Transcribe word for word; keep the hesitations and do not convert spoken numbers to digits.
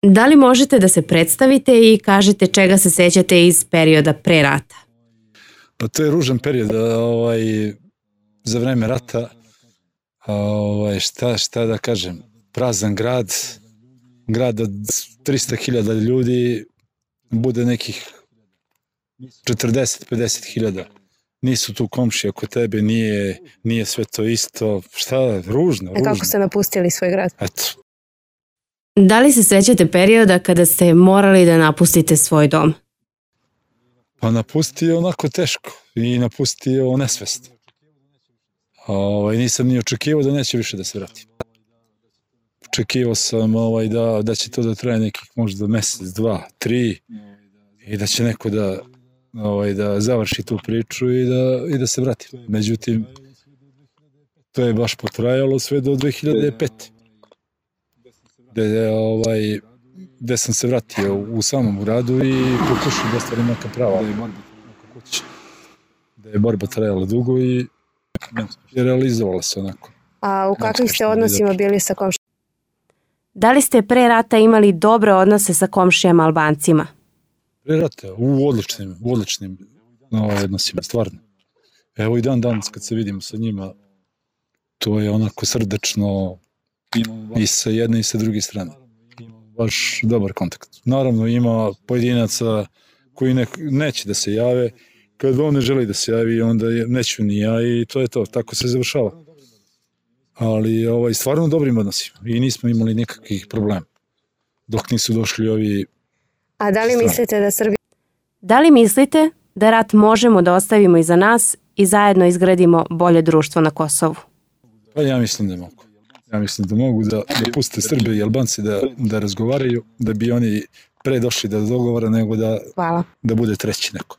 Da li možete da se predstavite i kažete čega se sećate iz perioda pre rata? Pa to je ružan period, ovaj, za vreme rata, ovaj, šta, šta da kažem, prazan grad, grad od trista hiljada ljudi, bude nekih četrdeset do pedeset hiljada. Nisu tu komšije oko tebe, nije, nije sve to isto, šta, ružno, ružno. A kako ste napustili svoj grad? Eto. Da li se sećate perioda kada ste morali da napustite svoj dom? Pa napusti je onako teško i napusti je o nesvest. Ovaj, nisam ni očekivao da neće više da se vrati. Očekivao sam ovaj, da, da će to da traje nekih možda mesec, dva, tri i da će neko da, ovaj, da završi tu priču i da, i da se vrati. Međutim, to je baš potrajalo sve do dve hiljade pete. Gde, ovaj, gde sam se vratio u samom gradu i pokušao da stvarim neka prava. Da je borba, da je borba trajala dugo i realizovala se onako. A u kakvim ste odnosima bili sa komšijama? Da li ste pre rata imali dobre odnose sa komšijama Albancima? Pre rata, u odličnim, u odličnim odnosima, stvarno. Evo i dan danas kad se vidimo sa njima, to je onako srdačno i sa jedne i sa druge strane. Baš dobar kontakt. Naravno ima pojedinaca koji ne, neće da se jave, kad on ne želi da se javi, onda neću ni ja i to je to, tako se završava. Ali ovaj, stvarno dobrim odnosima i nismo imali nikakvih problema dok nisu došli ovi... A da li strani. Mislite da Srbija... Da li mislite da rat možemo da ostavimo iza nas i zajedno izgradimo bolje društvo na Kosovu? Pa ja mislim da mogu. Ja mislim da mogu da, da puste Srbe i Albanci da, da razgovaraju, da bi oni pre došli da dogovara nego da, Hvala. Da bude treći neko.